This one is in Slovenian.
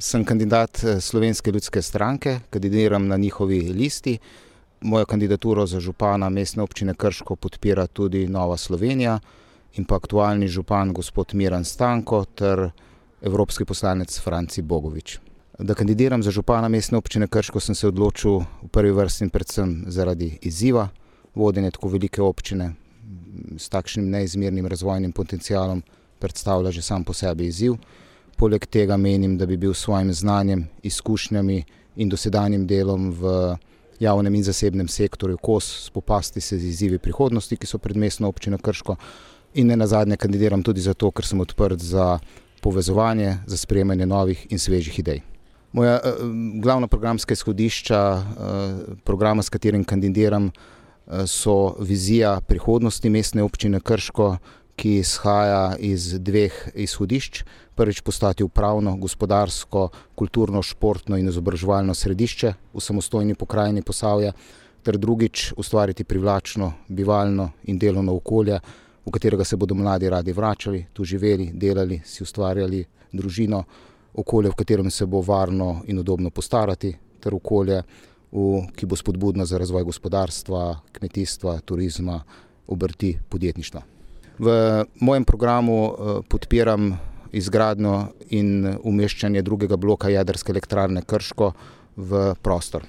Sem kandidat Slovenske ljudske stranke, kandidiram na njihovi listi. Mojo kandidaturo za župana Mestne občine Krško podpira tudi Nova Slovenija in pa aktualni župan gospod Miran Stanko ter evropski poslanec Franci Bogovič. Da kandidiram za župana Mestne občine Krško, sem se odločil v prvi vrsti predvsem zaradi izziva. Vodenje tako velike občine s takšnim neizmernim razvojnim potencialom predstavlja že sam po sebi izziv. Poleg tega menim, da bi bil s svojim znanjem, izkušnjami in dosedanjim delom v javnem in zasebnem sektorju kos spopasti se z izzivi prihodnosti, ki so pred Mestno občino Krško, in nenazadnje kandidiram tudi zato, ker sem odprt za povezovanje, za sprejemanje novih in svežih idej. Moja glavna programska izhodišča programa, s katerim kandidiram, so vizija prihodnosti Mestne občine Krško, ki izhaja iz dveh izhodišč. Prvič, postati upravno, gospodarsko, kulturno, športno in izobraževalno središče v samostojni pokrajini Posavja, ter drugič, ustvariti privlačno, bivalno in delovno okolje, v katerega se bodo mladi radi vračali, tu živeli, delali, si ustvarjali družino, okolje, v katerem se bo varno in udobno postarati, ter okolje, ki bo spodbudno za razvoj gospodarstva, kmetijstva, turizma, obrti, podjetništva. V mojem programu podpiram izgradnjo in umeščanje drugega bloka jedrske elektrarne Krško v prostor.